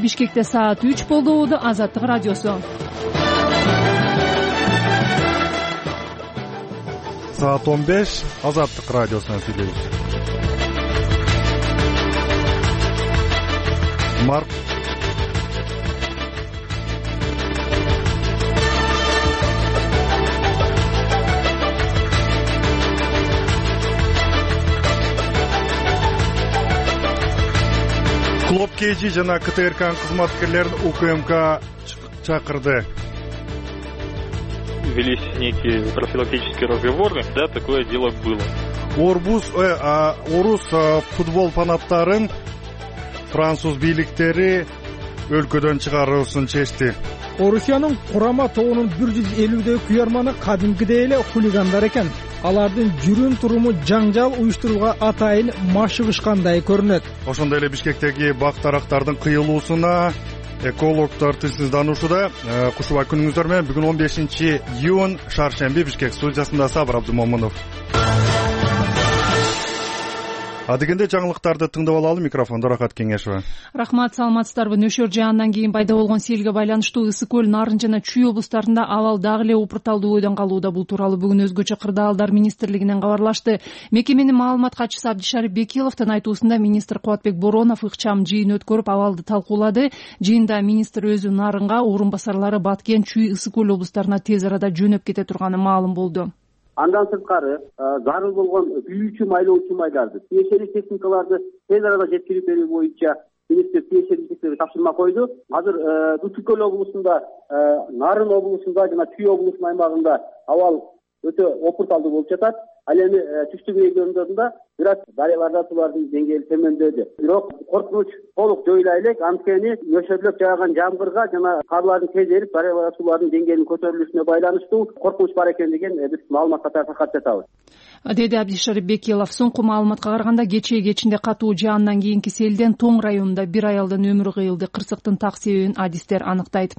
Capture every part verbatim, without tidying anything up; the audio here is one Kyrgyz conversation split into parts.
Бишкекте саат үч болду. Азаттык радиосу. Саат он беш. Азаттык радиосунан сүйлөйбүз. Марк Клоп Кейджи жана КТРКнын кызматкерлерин УКМК чакырды. Велись некие профилактические разговоры, да, такое дело было. Орбуз, э, а, орус а, футбол фанаттарын француз бийликтери өлкөдөн чыгаруусын чечти. Орусиянын курама тобунун бир жүз элүүдөй куярманы кадимкидей эле хулигандар экен. Алардын жүрүм туруму жаңжал уюштурууга атайын машыгышкандай көрүнөт. Ошондой эле Бишкектеги бак-дарактардын кыйылуусуна экологдор тынчсыздануусуда. Кушубай күнүңүздөр менен. Бүгүн он бешинчи июнь шаршемби. Бишкек студиясында Сабыр Абдумомунов. Адегенде жаңылыктарды тыңдап алалы. Микрофондо Рахат Кеңешова. Рахмат, саламатсыздарбы. Нөшөр жаандан кийин пайда болгон селге байланыштуу Ысык көл, Нарын жана Чүй облустарында абал дагы эле упурталдуу бойдон калууда. Бул тууралуу бүгүн өзгөчө кырдаалдар министрлигинен кабарлашты. Мекеменин маалымат катчысы Абдишарип Бекиловдун айтуусунда министр Кубатбек Боронов ыкчам жыйын өткөрүп абалды талкуулады. Жыйында министр өзү Нарынга, орун басарлары Баткен, Чүй, Ысык көл облустарына тез арада жөнөп кете турганы маалым болду. Андан сырткары зарыл болгон күйүүчү майлоочу майларды, тиешелүү техникаларды тез арада жеткирип берүү боюнча министр тиешелүү тапшырма койду. Азыр Ысык көл облусунда, Нарын облусунда жана Чүй облусунун аймагында абал өтө опурталдуу болуп жатат. Ал эми түштүк региондорунда бир аз дарыяларда сулардын деңгээли төмөндөдү. Бирок коркунуч толук жоюла элек, анткени нөшөрлөп жааган жамгырга жана карлардын тез эрип дарыяларда сулардын деңгээлинин көтөрүлүшүнө байланыштуу коркунуч бар экендигин биз маалымат катары таркатып жатабыз, деди Абдишарип Бекилов. Соңку маалыматка караганда кечээ кечинде катуу жаандан кийинки селден Тоң районунда бир аялдын өмүрү кыйылды. Кырсыктын так себебин адистер аныктайт.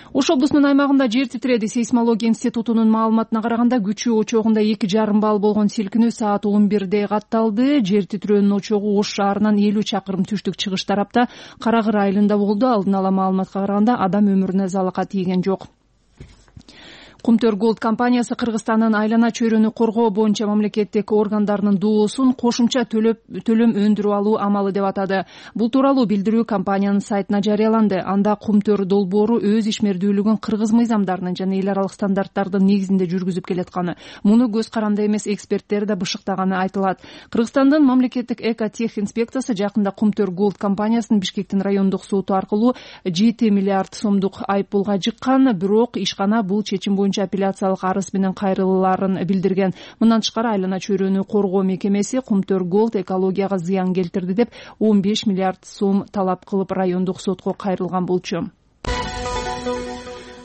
Ош облусунун аймагында жер титиреди. Сейсмология институтунун маалыматына караганда күчү очогунда эки жарым балл болгон силкинүү саат он бирде катталды. Жер титирөөнүн очогу Ош шаарынан элүү чакырым түштүк чыгыш тарапта Карагыр айылында болду. Алдын ала маалыматка караганда адам өмүрүнө залака тийген жок. Кумтөр Голд компаниясы Кыргызстандын айлана чөйрөнү коргоо боюнча мамлекеттик органдарынын доосун кошумча төлөм өндүрүп алуу амалы деп атады. Бул тууралуу билдирүү компаниянын сайтына жарыяланды. Анда Кумтөр долбоору өз ишмердүүлүгүн кыргыз мыйзамдарынын жана эл аралык стандарттардын негизинде жүргүзүп келатканы, муну көз каранды эмес эксперттер да бышыктаганы айтылат. Кыргызстандын мамлекеттик эко-тех инспекциясы жакында Кумтөр Голд компаниясынын Бишкектин райондук соту аркылуу жети миллиард сомдук айыппулга жыккан. Бирок ишкана бул чечим боюнча апелляциялык арыз менен кайрылууларын билдирген. Мындан тышкары айлана чөйрөнү коргоо мекемеси Кумтөр Голд экологияга зыян келтирди деп он беш миллиард сом талап кылып райондук сотко кайрылган болчу.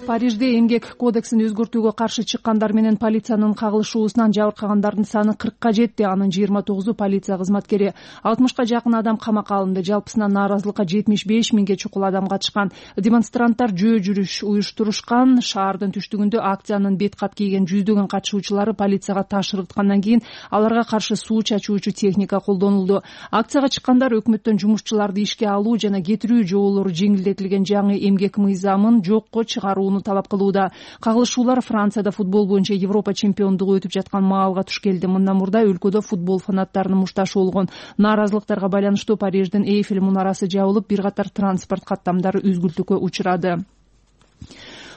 Парижде эмгек кодексин өзгөртүүгө каршы чыккандар менен полициянын кагылышуусунан жабыркагандардын саны кыркка жетти. Анын жыйырма тогузу полиция кызматкери, алтымышка жакын адам камакка алынды. Жалпысынан нааразылыкка жетимиш беш миңге чукул адам катышкан. Демонстранттар жөө жүрүш уюштурушкан. Шаардын түштүгүндө акциянын бет кат кийген жүздөгөн катышуучулары полицияга таш ыргыткандан кийин аларга каршы суу чачуучу техника колдонулду. Акцияга чыккандар өкмөттөн жумушчуларды ишке алуу жана кетирүү жоолору жеңилдетилген жаңы эмгек мыйзамын жокко чыгаруу талап кылууда. Кагылышуулар Францияда футбол боюнча Европа чемпиондугу өтүп жаткан маалга туш келди. Мындан мурда өлкөдө футбол фанаттарынын мушташы болгон. Нааразылыктарга байланыштуу Париждин Эйфель мунарасы жабылып, бир катар транспорт каттамдары үзгүлтүүгө учурады.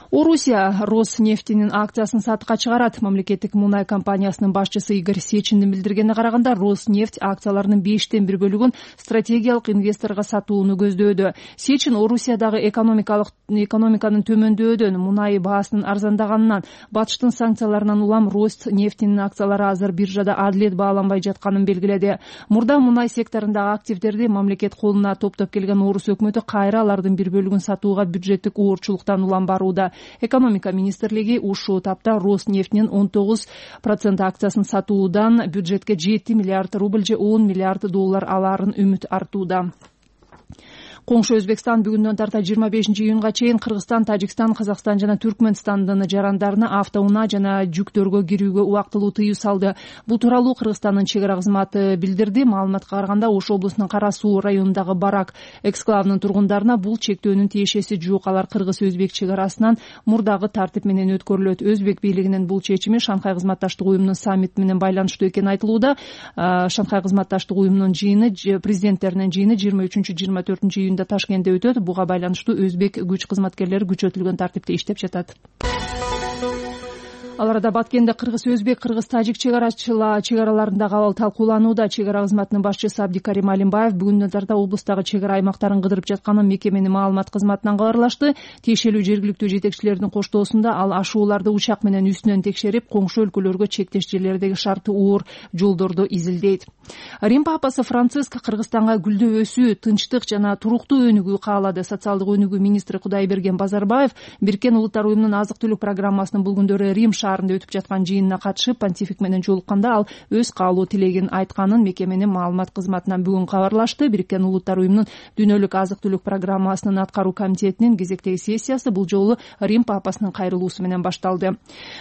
Орусия Роснефтинин акциясын сатыкка чыгарат. Мамлекеттик мунай компаниясынын башчысы Игорь Сечиндин билдиргенине караганда, Роснефть акцияларынын бештен бир бөлүгүн стратегиялык инвесторго сатууну көздөөдө. Сечин Орусиядагы экономикалык экономиканын төмөндөөнүн, мунай баасынын арзандаганынан, батыштын санкцияларынан улам Роснефтинин акциялары азыр биржада адилет бааланбай жатканын белгиледи. Мурда мунай секторундагы активдерди мамлекет колуна топтоп келген Орус өкмөтү кайра алардын бир бөлүгүн сатууга бюджеттик оорчулуктан улам барууда. Экономика министрлиги ушул тапта Роснефтинин он тогуз процент акциясын сатуудан бюджетке жети миллиард рубль же он миллиард доллар алаарын үмүт артууда. Коңшу Өзбекстан бүгүндөн тарта жыйырма бешинчи июнга чейин Кыргызстан, Тажикстан, Казакстан жана Түркмөнстандын жарандарына автоунаа жана жүктөргө кирүүгө убактылуу тыюу салды. Бул тууралуу Кыргызстандын чек ара кызматы билдирди. Маалыmatка караганда Ош облусунун Кара Суу районундагы Барак эксклавынын тургундарына бул чектөөнүн тиешеси жок. Алар кыргыз-өзбек чек арасынан мурдагы тартип менен өткөрүлөт. Өзбек бийлигинин бул чечими Шанхай кызматташтык уюмунун саммити менен байланыштуу экени айтылууда. Шанхай кызматташтык уюмунун жыйыны, президенттеринин жыйыны жыйырма үчүнчү жыйырма төртүнчү июнда Ташкентте өтөт. Буга байланыштуу өзбек күч кызматкерлери күчөтүлгөн тартипте иштеп жатат. Ал арада Баткенде кыргыз-өзбек, кыргыз-тажик чек араларындагы абал талкууланууда. Чек ара кызматынын башчысы Абдикарим Алимбаев бүгүндөн тарта облустагы чек ара аймактарын кыдырып жатканын мекеменин маалымат кызматынан кабарлашты. Тиешелүү жергиликтүү жетекчилердин коштоосунда ал ашууларды учак менен үстүнөн текшерип, коңшу өлкөлөргө чектеш жерлердеги шарты оор жолдорду изилдейт. Рим папасы Франциск Кыргызстанга гүлдөп өсүү, тынчтык жана туруктуу өнүгүү каалады. Социалдык өнүгүү министри Кудайберген Базарбаев Бириккен Улуттар уюмунун азык-түлүк программасынын бул күндөрү Рим шаарында өтүп жаткан жыйынына катышып, понтифик менен жолукканда ал өз каалоо тилегин айтканын мекеменин маалымат кызматынан бүгүн кабарлашты. Бириккен Улуттар уюмунун дүйнөлүк азык-түлүк программасынын аткаруу комитетинин кезектеги сессиясы бул жолу Рим папасынын кайрылуусу менен башталды.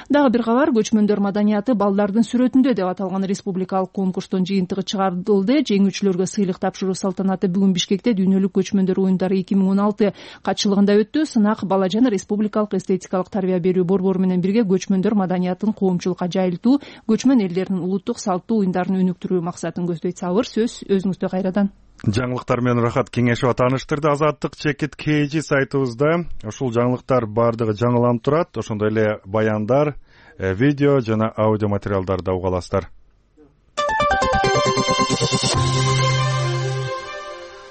Дагы бир кабар, көчмөндөр маданияты балдардын сүрөтүндө деп аталган республикалык конкурстун жыйынтыгы чыгарылды. Жеңүүчүлөргө сыйлык тапшыруу салтанаты бүгүн Бишкекте дүйнөлүк көчмөндөр оюндары эки миң он алты катчылыгында өттү. Сынак Балажан республикалык эстетикалык тарбия берүү борбору менен бирге көчмөндөр маданиятын коомчулукка жайылтуу, көчмөн элдердин улуттук салттуу оюндарын өнүктүрүү максатын көздөйт. Сабыр, сөз өзүңүздө кайрадан. Жаңылыктар менен Рахат Кеңешова тааныштырды. Азаттык чекит kg сайтыбызда ушул жаңылыктар баардыгы жаңыланып турат. Ошондой эле баяндар, видео жана аудио материалдарды уга аласыздар.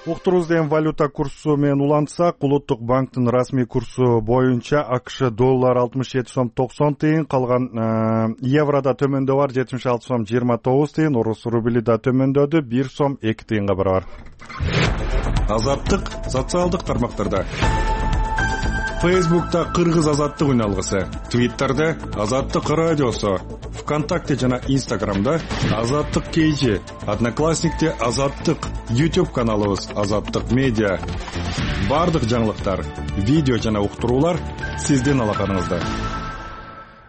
Уктурубуз деген валюта курсу менен улантсак, Улуттук банктын расмий курсу боюнча АКШ доллар алтымыш жети сом токсон тыйын, калган еврода төмөндөө бар жетимиш алты сом жыйырма тогуз тыйын, орус рубли да төмөндөдү бир сом эки тыйынга барабар. Азаттык социалдык тармактарда. Фейсбукта Кыргыз азаттык үн алгысы, Твиттерде Азаттык радиосу, ВКонтакте жана Инстаграмда Азаттык kg, Одноклассникте Азаттык, YouTube каналыбыз Азаттык медиа. Бардык жаңылыктар, видео жана уктуруулар сиздин алаканыңызда.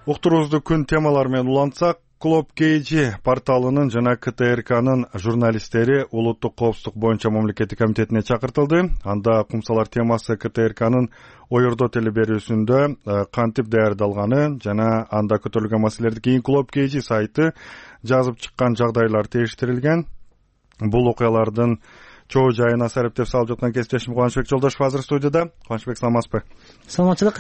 Уктуруубузду күн темалары менен улантсак, Клоп kg порталынын жана КТРКнын журналисттери улуттук коопсуздук боюнча мамлекеттик комитетине чакыртылды. Анда кумсалар темасы КТРКнын оюрдоо телеберүүсүндө кантип даярдалганы жана анда көтөрүлгөн маселелерди кийин Клоп kg сайты жазып чыккан жагдайлар териштирилген. Бул окуялардын чоо жайына сарептеп салып жаткан кесиптешим Кубанычбек Жолдошев азыр студияда. Кубанычбек, саламатсызбы? Саламатчылык.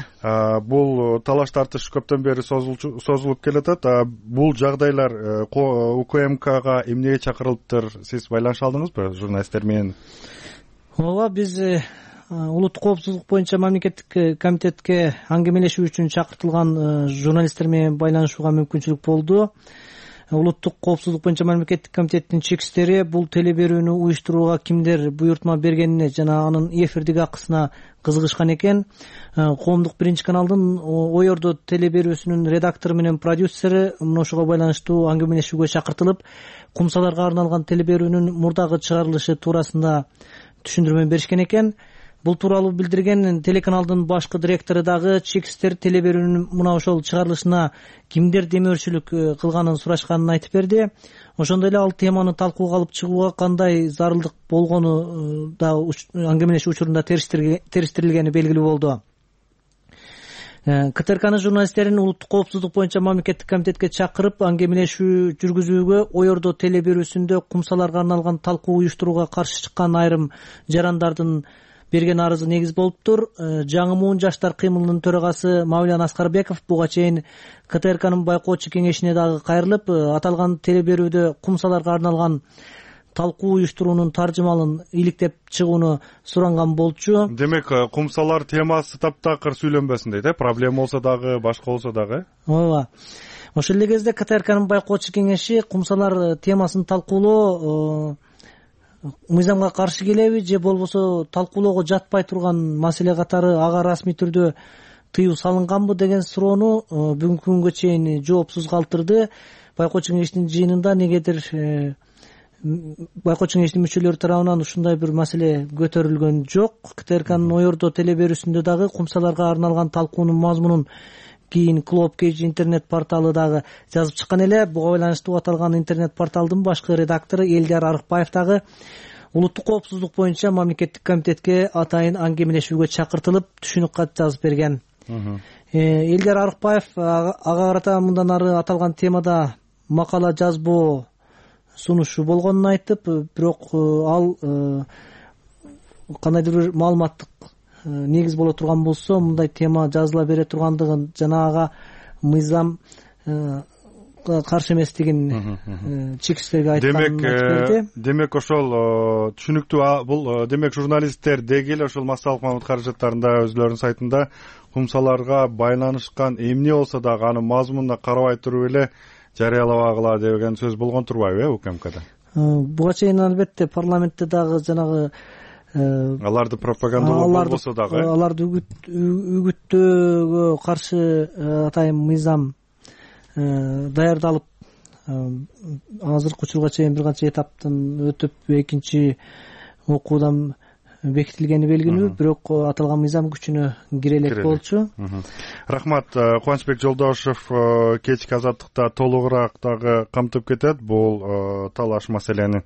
Бул талаш тартыш көптөн бери созулуп келатат. Бул жагдайлар УКМКга эмнеге чакырылыптыр? Сиз байланыша алдыңызбы журналисттер менен? Ооба, биз улуттук коопсуздук боюнча мамлекеттик комитетке аңгемелешүү үчүн чакыртылган журналисттер менен байланышууга мүмкүнчүлүк болду. Улуттук коопсуздук боюнча мамлекеттик комитеттин чекистери бул телеберүүнү уюштурууга кимдер буйртма бергенине жана анын эфирдик акысына кызыгышкан экен. Коомдук биринчи каналдын оюрдоо телеберүүсүнүн редактору менен продюсери мына ошого байланыштуу аңгемелешүүгө чакыртылып, кумсаларга арналган телеберүүнүн мурдагы чыгарылышы туурасында түшүндүрмө беришкен экен. Бул тууралуу билдирген телеканалдын башкы директору дагы чекистер телеберүүнүн мына ошол чыгарылышына кимдер демөөрчүлүк кылганын сурашканын айтып берди. Ошондой эле ал теманы талкууга алып чыгууга кандай зарылдык болгону да аңгемелешүү учурунда териштирилгени белгилүү болду. КТРКнын журналисттерин улуттук коопсуздук боюнча мамлекеттик комитетке чакырып аңгемелешүү жүргүзүүгө оюрдоо телеберүүсүндө кумсаларга арналган талкуу уюштурууга каршы чыккан айрым жарандардын берген арызы негиз болуптур. Жаңы муун жаштар кыймылынын төрагасы Мавлян Аскарбеков буга чейин КТРКнын байкоочу кеңешине дагы кайрылып, аталган телеберүүдө кумсаларга арналган талкуу уюштуруунун таржымалын иликтеп чыгууну суранган болчу. Демек, кумсалар темасы таптакыр сүйлөнбөсүн дейт, э? Проблема болсо дагы, башка болсо дагы. Ооба. Ошол эле кезде КТРКнын байкоочу кеңеши кумсалар темасын талкуулоо мыйзамга каршы келеби же болбосо талкуулоого жатпай турган маселе катары ага расмий түрдө тыюу салынганбы деген суроону бүгүнкү күнгө чейин жоопсуз калтырды. Байкоочу кеңештин жыйынында негедир байкоо кеңешинин мүчөлөрү тарабынан ушундай бир маселе көтөрүлгөн жок. КТРКнын Оёрдо теле берүүсүндө дагы кумсаларга арналган талкуунун мазмунун кийин Клоп Кейж интернет порталы дагы жазып чыккан эле. Буга байланыштуу аталган интернет порталдын башкы редактору Элдияр Арыкбаев дагы улуттук коопсуздук боюнча мамлекеттик комитетке атайын аңгемелешүүгө чакыртылып түшүнүк кат жазып берген. Элдияр Арыкбаев ага карата мындан ары аталган темада макала жазбоо сунушу болгонун айтып, бирок ал кандайдыр бир маалыматтык негиз боло турган болсо мындай тема жазыла бере тургандыгын жана ага мыйзам каршы эместигин чекисттерге айтканын айтып берди. Демек ошол түшүнүктүү бул демек журналисттер деги эле ошол массалык маалымат каражаттарында өзүлөрүнүн сайтында кумсаларга байланышкан эмне болсо дагы анын мазмунуна карабай туруп эле жарыялабагыла деген сөз болгон турбайбы э УКМКда? Буга чейин албетте парламентте дагы жанагы аларды пропагандалоо болбосо дагы аларды үгүттөөгө каршы атайын мыйзам даярдалып азыркы учурга чейин бир канча этаптын өтүп экинчи окуудан бекитилгени белгилүү, бирок аталган мыйзам күчүнө кире элек болчу. Рахмат. Кубанычбек Жолдошев кечки азаттыкта толугураак дагы камтып кетет бул талаш маселени.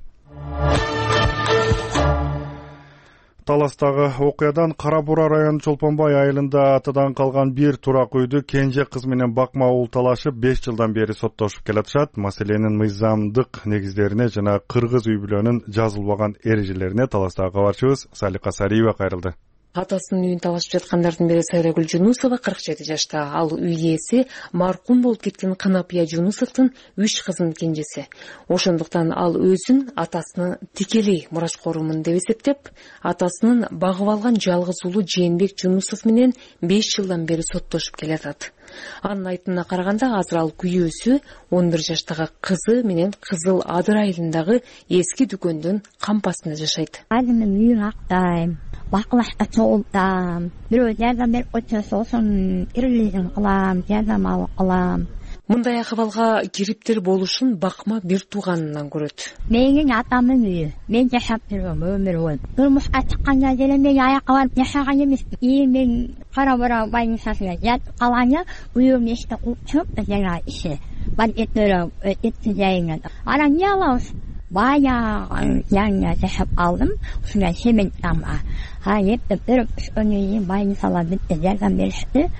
Таластагы окуядан Кара Бура району Чолпонбай айылында атадан калган бир турак үйдү кенже кыз менен бакма уул талашып беш жылдан бери соттошуп келатышат. Маселенин мыйзамдык негиздерине жана кыргыз үй бүлөнүн жазылбаган эрежелерине таластагы кабарчыбыз Салика Сариева кайрылды. Атасынын үйүн талашып жаткандардын бири Сайрагүл Жунусова кырк жети жашта. Ал үй ээси маркум болуп кеткен Кынапия Жунусовдун үч кызынын кенжеси. Ошондуктан ал өзүн атасынын тикелей мурашкорумун деп эсептеп, атасынын багып алган жалгыз уулу Жээнбек Жунусов менен беш жылдан бери соттошуп келатат. Анын айтымына караганда азыр ал күйөөсү он бир жаштагы кызы менен Кызыл Адыр айылындагы эски дүкөндүн кампасында жашайт. Айымдын үйүн актайм, бакылашта чогултам, бирөө жардам берип койсо сосын ирилизин кылам, жардам алып калам. Мындай акыбалга кириптер болушун бакма бир тууганынан көрөт. Менин атамдын үйү, мен жашап жүргөм өмүр бою. Турмушка чыкканда деле мен аякка барып жашаган эмесмин. И мен Кара Бура больницасына жатып калганда үйүм эшикти кууп чыгып жана иши бар этөрө этти жайына. Анан эмне алабыз? Баягы жаңы жашап алдым. Ушундай семен тамга. Ha yettip берип өскөндөн кийин больницалар битте жардам беришти.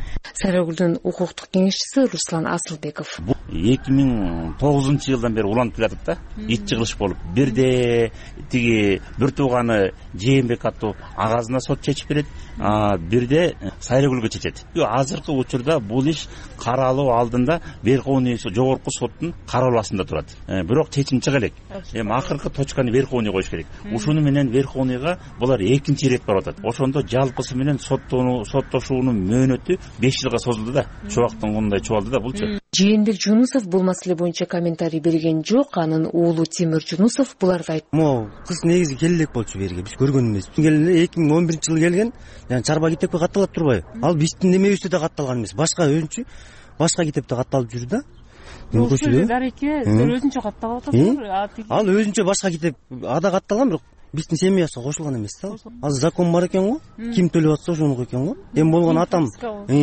Сайрагүлдүн укуктук кеңешчиси Руслан Асылбеков. эки миң тогузунчу жылдан бери уланып келатат да. Ит жыгылыш болуп. Бирде тиги бир тууганы Жээнбек аттуу агазына сот чечип берет, а бирде Сайрагүлгө чечет. Азыркы учурда бул иш каралуу алдында Верховный жогорку соттун карооласында турат. Бирок чечим чыга элек. Эми акыркы точканы Верховный коюш керек. Ушуну менен Верховныйга булар экинчи ирет барып атат. Ошондо жалпысы менен соттоону соттошуунун мөөнөтү беш жылга созулду да. Чубактын мындай чубалды да булчу. Жээнбек Жунусов бул маселе боюнча комментарий берген жок. Анын уулу Тимир Жунусов буларга айтты. Мо кыз негизи келелек болчу берге. Биз көргөн эмес. Келеле эки миң он биринчи жылы келген. Жана чарба китепке катталат турбайбы? Ал биздин немебизде да катталган эмес. Башка өзүнчө башка китепте катталып жүрдү да. Ошол дареке өзүнчө катталып атат. Ал өзүнчө башка китеп ада катталган, бирок биздин семьясына кошулган эмес да. Азыр закон бар экен го. Ким төлөп атса ошонуку экен го. Эми болгон атам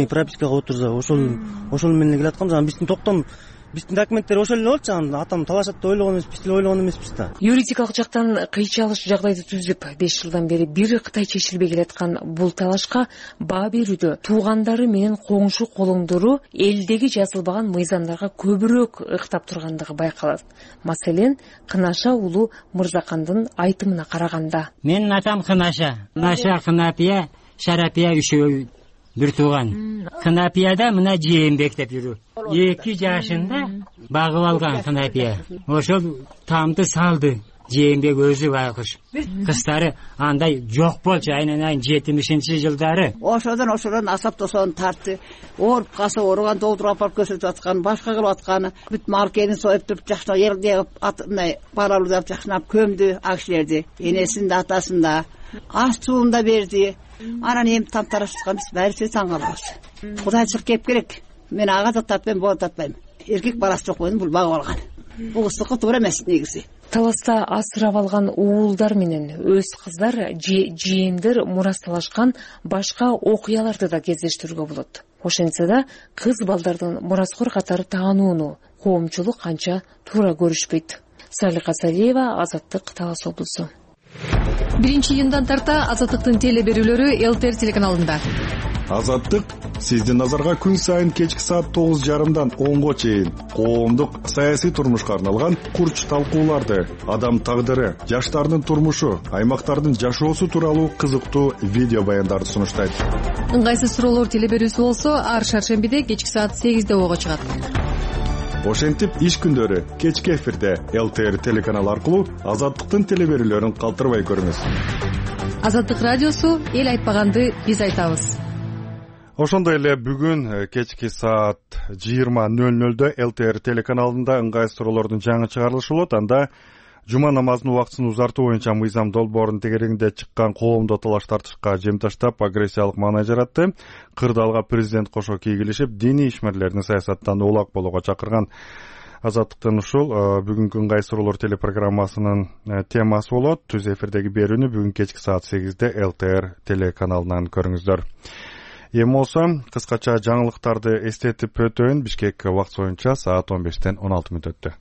пропискага отурса ошол ошол менен келаткан. Жана биздин токтом биздин документтер ошол эле болчу. Атам талашат деп ойлогон эмес, биз деле ойлогон эмеспиз да. Юридикалык жактан кыйчалыш жагдайды түзүп, беш жылдан бери бир кытай чечилбей келаткан бул талашка баа берүүдө туугандары менен коңшу колоңдору элдеги жазылбаган мыйзамдарга көбүрөөк ыктап тургандыгы байкалат. Маселен, Кынаша уулу Мырзакандын айтымына караганда. Менин атам Кынаша, Кынаша Кынапия, Шарапия үшөө бир тууган. Кынапияда мына Жээнбек деп жүрүү. эки жашында багып алган Кынапия. Ошол тамды салды. Жээнбек өзү байкуш. Кыздары андай жок болчу. Айнан жетимишинчи жылдары. Ошодон ошодон асаптосон тартты. Ооруп калса ооруган доктурга апарып көрсөтүп аткан, башка кылып атканы. Бүт мал кенин союп туруп жакшына жерде мындай баралуудап жакшынап көмдү ал кишилерди. Энесин да атасын да. Аш суун да берди. Анан эми тамтараш чыккан биз баарыбыз таң калабыз. Кудайчылык кеп керек. Мен ага да татпайм, боо татпайм. Эркек баласы жок бойдон бул багып алган. Бул кыздыкы туура эмес негизи. Таласта асырап алган уулдар менен өз кыздар же жээндер мурасталашкан башка окуяларды да кездештирүүгө болот. Ошентсе да кыз балдардын мураскор катары таанууну коомчулук канча туура көрүшпөйт. Салика Салиева, Азаттык, Талас облусу. биринчи июндан тарта Азаттыктын теле берүүлөрү эл т эр телеканалында. Азаттык сиздин назарга күн сайын кечки саат тогуз жарымдан онго чейин коомдук саясий турмушка арналган курч талкууларды, адам тагдыры, жаштардын турмушу, аймактардын жашоосу тууралуу кызыктуу видео баяндарды сунуштайт. Ыңгайсыз суроолор теле берүүсү болсо ар шаршембиде кечки саат сегизде ого чыгат. Ошентип иш күндөрү кечки эфирде эл т эр телеканалы аркылуу Азаттыктын теле берүүлөрүн калтырбай көрүңүз. Азаттык радиосу эл айтпаганды биз айтабыз. Ошондой эле бүгүн кечки саат жыйырма нөл нөлдө эл т эр телеканалында ыңгайсыз суроолордун жаңы чыгарылышы болот. Анда жума намазынын убактысын узартуу боюнча мыйзам долбоорунун тегерегинде чыккан коомдук талаш тартышка жем таштап агрессиялык маанай жаратты. Кырдаалга президент кошо кийгилишип, диний ишмерлердин саясаттан улак болууга чакырган. Азаттыктын ушул бүгүнкү ыңгайсыз суроолор телепрограммасынын темасы болот. Түз эфирдеги берүүнү бүгүн кечки саат сегизде эл т эр телеканалынан көрүңүздөр. Эми болсо кыскача жаңылыктарды эстетип өтөйүн. Бишкек убакыт боюнча саат он бештен он алты мүнөт өттү.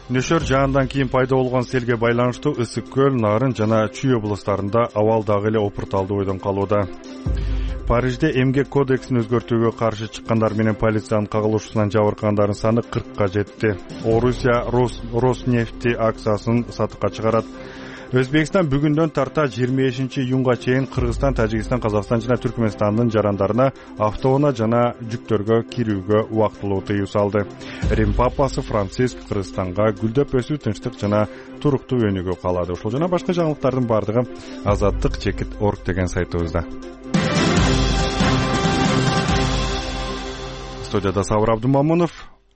Нөшөр жаандан кийин пайда болгон селге байланыштуу Ысык көл, Нарын жана Чүй облустарында абал дагы эле опурталдуу бойдон калууда. Парижде эмгек кодексин өзгөртүүгө каршы чыккандар менен полициянын кагылышуусунан жабыркагандардын саны кыркка жетти. Орусия Роснефти акциясын сатыкка чыгарат. Өзбекстан бүгүндөн тарта жыйырма бешинчи июнга чейин Кыргызстан, Тажикстан, Казакстан жана Түркмөнстандын жарандарына автоунаа жана жүктөргө кирүүгө убактылуу тыюу салды. Рим папасы Франциск Кыргызстанга гүлдөп өсүү, тынчтык жана туруктуу өнүгүү каалады. Ушул жана башка жаңылыктардын бардыгы азаттык чекит орг деген сайтыбызда. Студияда Сабыр Абдумамунов,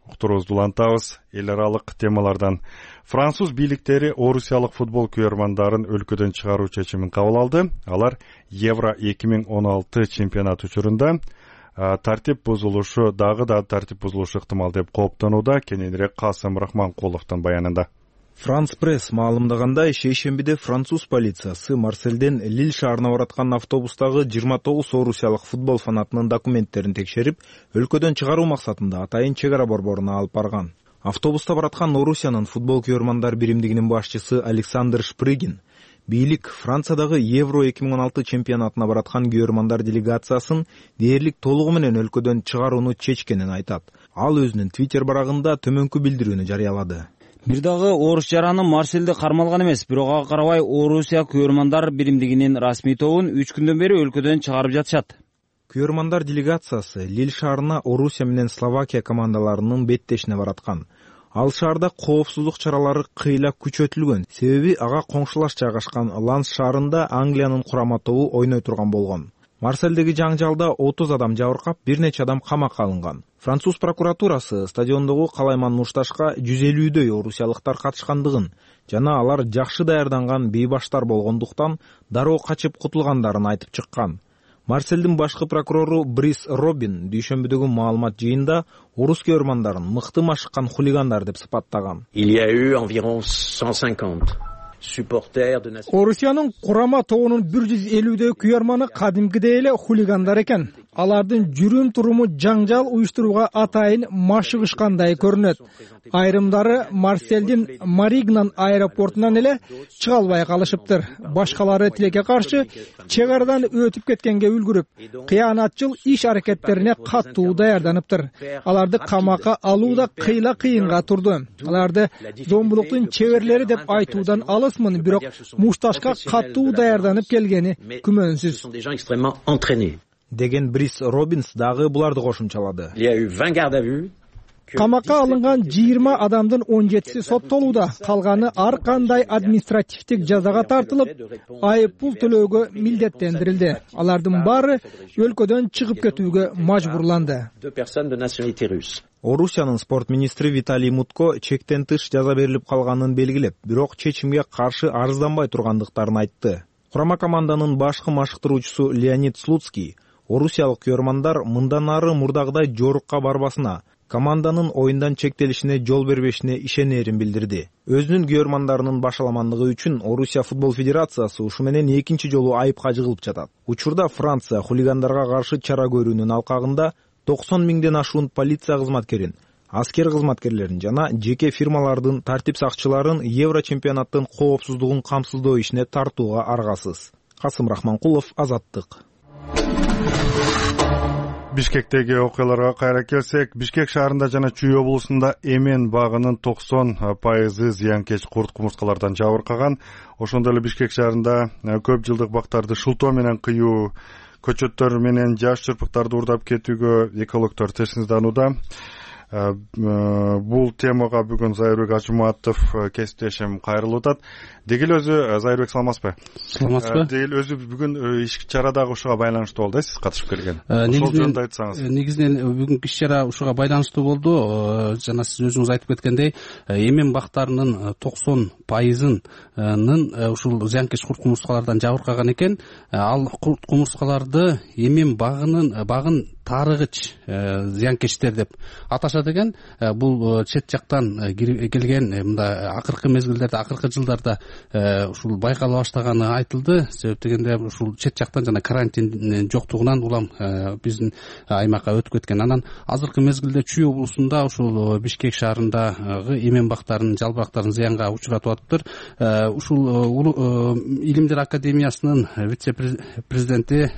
уктуруубузду улантабыз. Эл аралык темалардан француз бийликтери орусиялык футбол күйөрмандарын өлкөдөн чыгаруу чечимин кабыл алды. Алар Евро эки миң он алты чемпионат учурунда тартип бузулушу, дагы да тартип бузулушу ыктымал деп кооптонууда. Кененирээк Касым Рахманкуловдун баянында. Франс пресс маалымдагандай, шейшембиде француз полициясы Марселден Лил шаарына бараткан автобустагы жыйырма тогуз орусиялык футбол фанатынын документтерин текшерип, өлкөдөн чыгаруу максатында атайын чек ара борборуна алып барган. Автобуста бараткан Орусиянын футбол күйөрмандар биримдигинин башчысы Александр Шпрыгин бийлик Франциядагы Евро эки миң он алты чемпионатына бараткан күйөрмандар делегациясын дээрлик толугу менен өлкөдөн чыгарууну чечкенин айтат. Ал өзүнүн Twitter барагында төмөнкү билдирүүнү жарыялады. Бир дагы орус жараны Марселде кармалган эмес, бирок ага карабай Орусия күйөрмандар биримдигинин расмий тобун үч күндөн бери өлкөдөн чыгарып жатышат. Күйөрмандар делегациясы Лил шаарына Орусия менен Словакия командаларынын беттешине бараткан. Ал шаарда коопсуздук чаралары кыйла күчөтүлгөн, себеби ага коңшулаш жайгашкан Ланс шаарында Англиянын курама тобу ойной турган болгон. Марселдеги жаңжалда отуз адам жабыркап, бир нече адам камакка алынган. Француз прокуратурасы стадиондогу калайман мушташка жүз элүүдөй орусиялыктар катышкандыгын жана алар жакшы даярданган бейбаштар болгондуктан дароо качып кутулгандарын айтып чыккан. Марселдин башкы прокурору Брис Робин дүйшөмбүдөгү маалымат жыйында орус күйөрмандарын мыкты машыккан хулигандар деп сыпаттаган. Орусиянын курама тобунун бир жүз элүүдөй күйөрманы кадимкидей эле хулигандар экен. Алардын жүрүм туруму жаңжал уюштурууга атайын машыгышкандай көрүнөт. Айрымдары Марселдин Маригнан аэропортунан эле чыга албай калышыптыр. Башкалары тилекке каршы чек арадан өтүп кеткенге үлгүрүп, кыянатчыл иш аракеттерине катуу даярданыптыр. Аларды камакка алуу да кыйла кыйынга турду. Аларды зомбулуктун чеберлери деп айтуудан алысмын, бирок мушташка катуу даярданып келгени күмөнсүз деген Брис Робинс дагы буларды кошумчалады. Камакка алынган жыйырма адамдын он жетиси соттолууда, калганы ар кандай административдик жазага тартылып, айып пул төлөөгө милдеттендирилди. Алардын баары өлкөдөн чыгып кетүүгө мажбурланды. Орусиянын спорт министри Виталий Мутко чектен тыш жаза берилип калганын белгилеп, бирок чечимге каршы арызданбай тургандыктарын айтты. Курама команданын башкы машыктыруучусу Леонид Слуцкий орусиялык күйөрмандар мындан ары мурдагыдай жорукка барбасына, команданын оюндан чектелишине жол бербешине ишенерин билдирди. Өзүнүн күйөрмандарынын башаламандыгы үчүн Орусия футбол федерациясы ушу менен экинчи жолу айыпка жыгылып жатат. Учурда Франция хулигандарга каршы чара көрүүнүн алкагында токсон миңден ашуун полиция кызматкерин, аскер кызматкерлерин жана жеке фирмалардын тартип сакчыларын Евро чемпионаттын коопсуздугун камсыздоо ишине тартууга аргасыз. Касым Рахманкулов, Азаттык. Бишкектеги окуяларга кайра келсек, Бишкек шаарында жана Чүй облусунда эмен багынын токсон пайызы зыянкеч курт кумурскалардан жабыркаган. Ошондой эле Бишкек шаарында көп жылдык бактарды шылтоо менен кыюу, көчөттөр менен жаш чырпыктарды уурдап кетүүгө экологдор терсинданууда. Бул темага бүгүн Зайырбек Ажыматов кесиптешим кайрылып атат. Деги эле өзү Зайырбек саламатсызбы? Саламатсызбы? Деги эле өзү бүгүн иш чарадагы ушуга байланыштуу болду, сиз катышып келген. Ошол жөнүндө айтсаңыз. Негизинен бүгүнкү иш чара ушуга байланыштуу болду. Жана сиз өзүңүз айтып кеткендей, эмен бактарынын токсон пайызынын ушул зыянкеч курт кумурскалардан жабыркаган экен. Ал курт кумурскаларды эмен багынын багын таарыгыч зыянкечтер деп аташат экен. Бул чет жактан келген, мындай акыркы мезгилдерде, акыркы жылдарда ушул байкала баштаганы айтылды. Себеп дегенде ушул чет жактан жана карантин жоктугунан улам биздин аймакка өтүп кеткен. Анан азыркы мезгилде Чүй облусунда ушул Бишкек шаарындагы эмен бактарынын жалбырактарын зыянга учуратып атыптыр. Ушул Илимдер академиясынын вице-президенти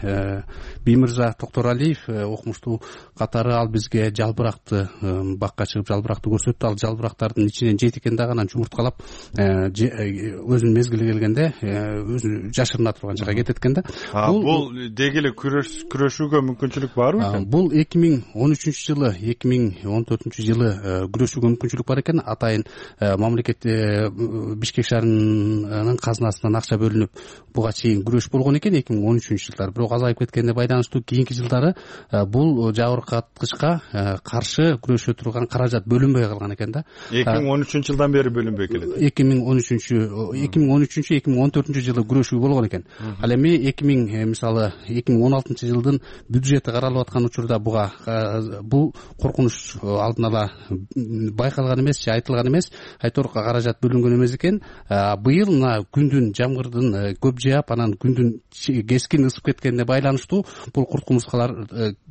Биймырза Токторалиев окумуштуу катары ал бизге жалбыракты бакка чыгып жалбыракты көрсөттү. Ал жалбырактардын ичинен жети экен дагы анан жумурткалап өзүнүн мезгили келгенде өзү жашырына турган жака кетет экен да. Бул деги эле күрөшүүгө мүмкүнчүлүк барбы экен? Бул эки миң он үчүнчү жылы, эки миң он төртүнчү жылы күрөшүүгө мүмкүнчүлүк бар экен. Атайын мамлекет Бишкек шаарынын казынасынан акча бөлүнүп буга чейин күрөш болгон экен эки миң он үчүнчү жылдары. Бирок азайып кеткенине байланыштуу кийинки жылдары бул жабыркаткычка каршы күрөшө турган каражат бөлүнбөй калган экен да. эки миң он үчүнчү жылдан бери бөлүнбөй келет. эки миң он үчүнчү эки миң он үчүнчү эки миң он төртүнчү жылы күрөшүү болгон экен. Ал эми эки миң мисалы эки миң он алтынчы жылдын бюджети каралып аткан учурда буга бул коркунуч алдын ала байкалган эмес же айтылган эмес, айтор каражат бөлүнгөн эмес экен. Быйыл мына күндүн жамгырдын көп жаап, анан күндүн кескин ысып кеткенине байланыштуу бул курт кумурскалар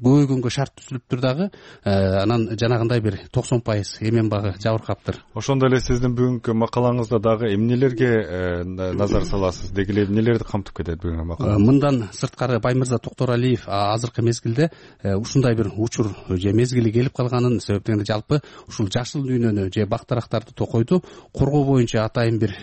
көбөйгөнгө шарт түзүлүптүр дагы. Анан жанагындай бир токсон пайыз эмен багы жабыркаптыр. Ошондой эле сиздин бүгүнкү макалаңызда дагы эмнелерге назар саласыз? Деги эле эмнелерди камтып кетет бүгүнкү макала? Мындан сырткары Баймырза Токторалиев азыркы мезгилде ушундай бир учур же мезгили келип калганын, себеп дегенде жалпы ушул жашыл дүйнөнү же бактарактарды токойду коргоо боюнча атайын бир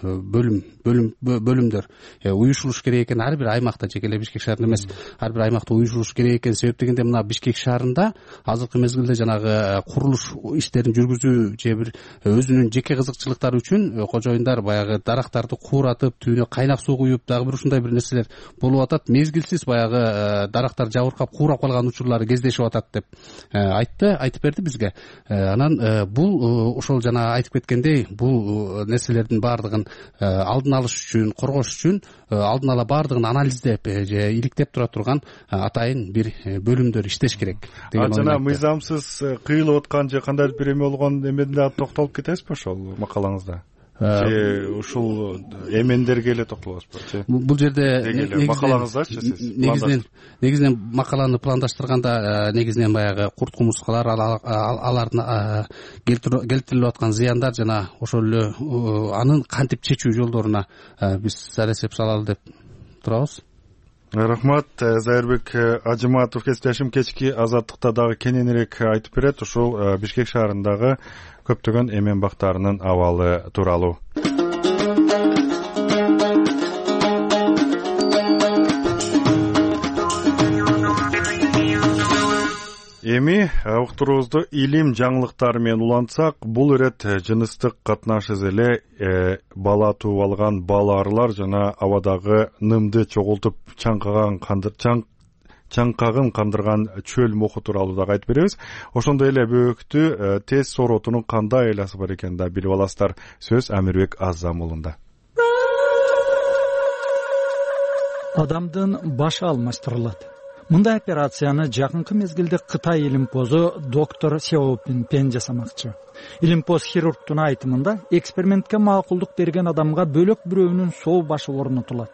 бөлүм бөлүм бөлүмдөр уюшулуш керек экен. Ар бир аймакта, жеке эле Бишкек шаарында эмес, ар бир аймакта уюшулуш керек экен. Себеп дегенде мына Бишкек шаарында азыркы мезгилде жанагы курулуш иштерин жүргүзүү же бир өзүнүн жеке кызыкчылыктары үчүн кожоюндар баягы дарактарды кууратып, түбүнө кайнак суу куюп, дагы бир ушундай бир нерселер болуп атат. Мезгилсиз баягы дарактар жабыркап куурап калган учурлары кездешип атат деп айтты, айтып берди бизге. Анан бул ошол жана айтып кеткендей, бул нерселердин баардыгын алдын алыш үчүн, коргош үчүн алдын ала баардыгын анализдеп же иликтеп тура турган атайын бир бөлүмдөр иштеш керек. Жана мыйзамсыз кыйылып аткан же кандайдыр бир эме болгон эмеде дагы токтолуп кетесизби ошол макалаңызда? Же ушул эмендерге эле токтолосузбу? Бул жерде макалаңыздачы сиз? Негизинен негизинен макаланы пландаштырганда негизинен баягы курт кумурскалар, алардын келтирилип аткан зыяндар жана ошол эле анын кантип чечүү жолдоруна биз сар эсеп салалы деп турабыз. Рахмат. Зайырбек Ажыматов кесиптешим кечки Азаттыкта дагы кененирээк айтып берет ушул Бишкек шаарындагы көптөгөн эмен бактарынын абалы тууралуу. Эми уктуруубузду илим жаңылыктары менен улантсак, бул ирет жыныстык катнашыз эле бала тууп алган балаарылар жана абадагы нымды чогултуп чаңкаган чаңкагын кандырган чөл моху тууралуу дагы айтып беребиз. Ошондой эле бөөктү тез сооротуунун кандай айласы бар экенин да билип аласыздар. Сөз Амирбек Аззам уулунда. Адамдын башы алмаштырылат. мындай операцияны жакынкы мезгилде Кытай илимпозу доктор Сяопин Пен жасамакчы. Илимпоз хирургтун айтымында экспериментке макулдук берген адамга бөлөк бирөөнүн соо башы орнотулат.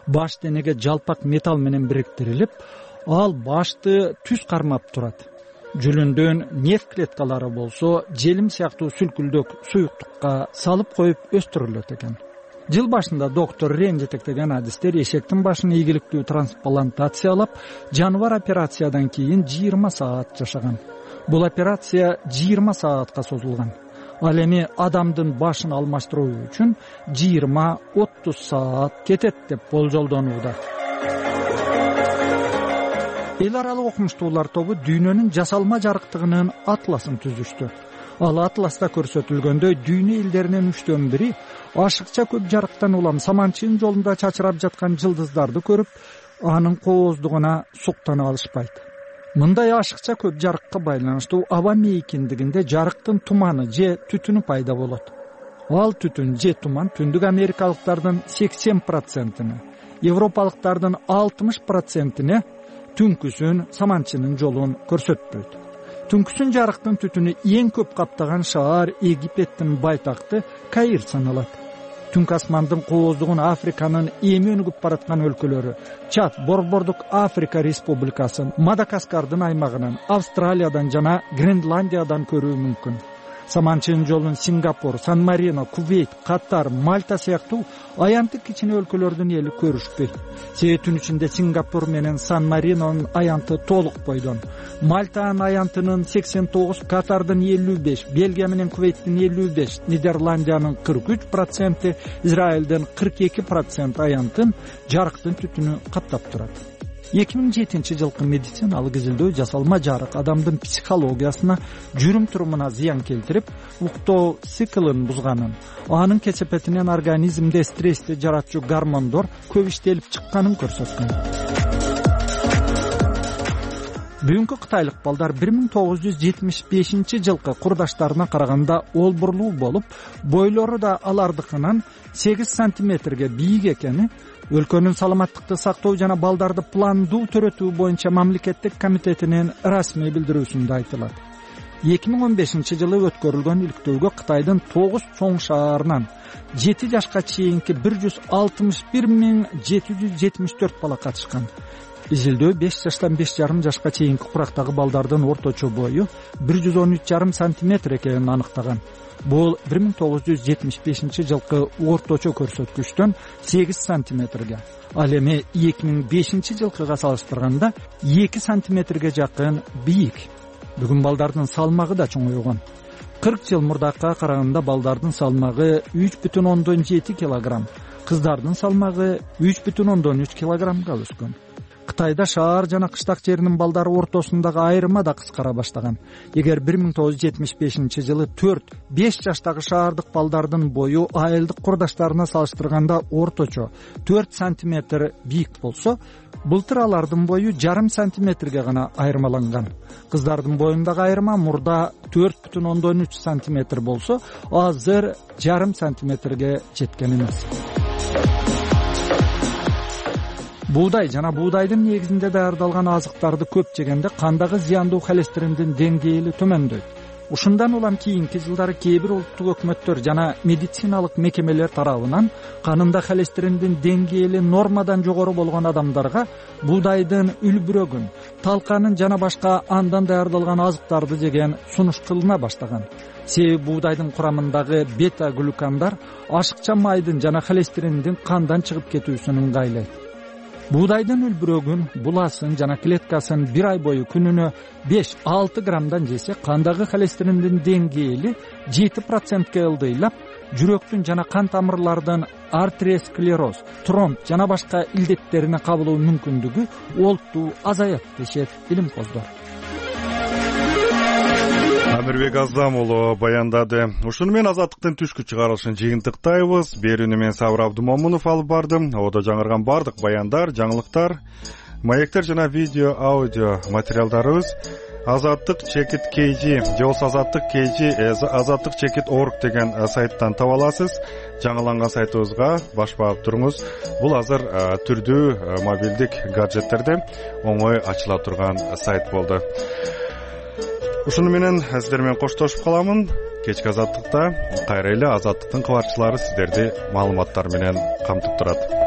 Баш денеге жалпак металл менен бириктирилип, ал башты түз кармап турат. Жүлүндөн нерв клеткалары болсо, желим сыяктуу сүлкүлдөк суюктукка салып коюп өстүрүлөт экен. Жыл башында доктор Рен жетектеген адистер эшектин башын ийгиликтүү трансплантациялап, жаныбар операциядан кийин жыйырма саат жашаган. Бул операция жыйырма саатка созулган. Ал эми адамдын башын алмаштыруу үчүн жыйырма отуз саат кетет деп болжолдонууда. Эл аралык окумуштуулар тобу дүйнөнүн жасалма жарыктыгынын атласын түзүштү. Ал атласта көрсөтүлгөндөй дүйнө элдеринин үчтөн бири ашыкча көп жарыктан улам саманчынын жолунда чачырап жаткан жылдыздарды көрүп, анын кооздугуна суктана алышпайт. Мындай ашыкча көп жарыкка байланыштуу аба мейкиндигинде жарыктын туманы же түтүнү пайда болот. Ал түтүн же туман түндүк америкалыктардын сексен процентине, европалыктардын алтымыш процентине түнкүсүн саманчынын жолун көрсөтпөйт. Түнкүсүн жарыктын түтүнү эң көп каптаган шаар Египеттин байтакты Каир саналат. Түнкү асмандын кооздугун Африканын эми өнүгүп бараткан өлкөлөрү, Чад, Борбордук Африка Республикасы, Мадагаскардын аймагынан, Австралиядан жана Гренландиядан көрүү мүмкүн. Саманчынын жолун Сингапур, Сан-Марино, Кувейт, Катар, Мальта сыяктуу аянттык кичине өлкөлөрдүн эли көрүшпөйт. Себеби түн ичинде Сингапур менен Сан-Маринонун аянты толук бойдон. Мальтанын аянтынын сексен тогуз, Катардын элүү беш, Бельгия менен Кувейттин элүү беш, Нидерландиянын кырк үч проценти, Израилдин кырк эки проценти аянтын жарыктын түтүнү каптап турат. эки миң жетинчи жылкы медициналык изилдөө жасалма жарык адамдын психологиясына, жүрүм турумуна зыян келтирип, уктоо циклын бузганын, анын кесепетинен организмде стрессти жаратчу гормондор көп иштелип чыкканын көрсөткөн. Бүгүнкү кытайлык балдар бир миң тогуз жүз жетимиш бешинчи жылкы курдаштарына караганда олбурлуу болуп, бойлору да алардыкынан сегиз сантиметрге бийик экени өлкөнүн саламаттыкты сактоо жана балдарды пландуу төрөтүү боюнча мамлекеттик комитетинин расмий билдирүүсүндө айтылат. эки миң он бешинчи жылы өткөрүлгөн иликтөөгө Кытайдын тогуз чоң шаарынан жети жашка чейинки бир жүз алтымыш бир миң жети жүз жетимиш төрт бала катышкан. Изилдөө беш жаштан беш жарым жашка чейинки курактагы балдардын орточо бою бир жүз он үч жарым сантиметр экенин аныктаган. Бул бир миң тогуз жүз жетимиш бешинчи жылкы орточо көрсөткүчтөн сегиз сантиметрге, ал эми эки миң бешинчи жылкыга салыштырганда эки сантиметрге жакын бийик. Бүгүн балдардын салмагы да чоңойгон. кырк жыл мурдакка караганда балдардын салмагы үч бүтүн ондон жети килограмм, кыздардын салмагы үч бүтүн ондон үч килограммга өскөн. Кытайда шаар жана кыштак жеринин балдары ортосундагы айырма да кыскара баштаган. Эгер бир миң тогуз жүз жетимиш бешинчи жылы төрт беш жаштагы шаардык балдардын бою айылдык курдаштарына салыштырганда орточо төрт сантиметр бийик болсо, былтыр алардын бою жарым сантиметрге гана айырмаланган. Кыздардын боюндагы айырма мурда төрт бүтүн ондон үч сантиметр болсо, азыр жарым сантиметрге жеткен эмес. Буудай жана буудайдын негизинде даярдалган азыктарды көп жегенде кандагы зыяндуу холестериндин деңгээли төмөндөйт. Ушундан улам кийинки жылдары кээ бир улуттук өкмөттөр жана медициналык мекемелер тарабынан канында холестериндин деңгээли нормадан жогору болгон адамдарга буудайдын үлбүрөгүн, талканын жана башка андан даярдалган азыктарды жеген сунуш кылына баштаган. Себеби буудайдын курамындагы бета-глюкандар ашыкча майдын жана холестериндин кандан чыгып кетүүсүн ыңгайлайт. Буудайдын үлбүрөгүн, буласын жана клеткасын бир ай бою күнүнө беш алты граммдан жесе, кандагы холестериндин деңгээли жети процентке ылдыйлап, жүрөктүн жана кан тамырлардын артериосклероз, тромб жана башка илдеттерине кабылуу мүмкүндүгү олуттуу азаят дешет илимпоздор. Амирбек Аздам уулу баяндады. Ушуну менен азаттыктын түшкү чыгарылышын жыйынтыктайбыз. Берүүнү мен Сабыр Абдумомунов алып бардым. Одо жаңырган бардык баяндар, жаңылыктар, маектер жана видео, аудио материалдарыбыз азаттык чекит kg же болбосо азаттык kg азаттык чекит орг деген сайттан таба аласыз. Жаңыланган сайтыбызга баш багып туруңуз. Бул азыр түрдүү мобилдик гаджеттерде оңой ачыла турган сайт болду. Ушуну менен сиздер менен коштошуп каламын. Кечки азаттыкта кайра эле азаттыктын кабарчылары сиздерди маалыматтар менен камтып турат.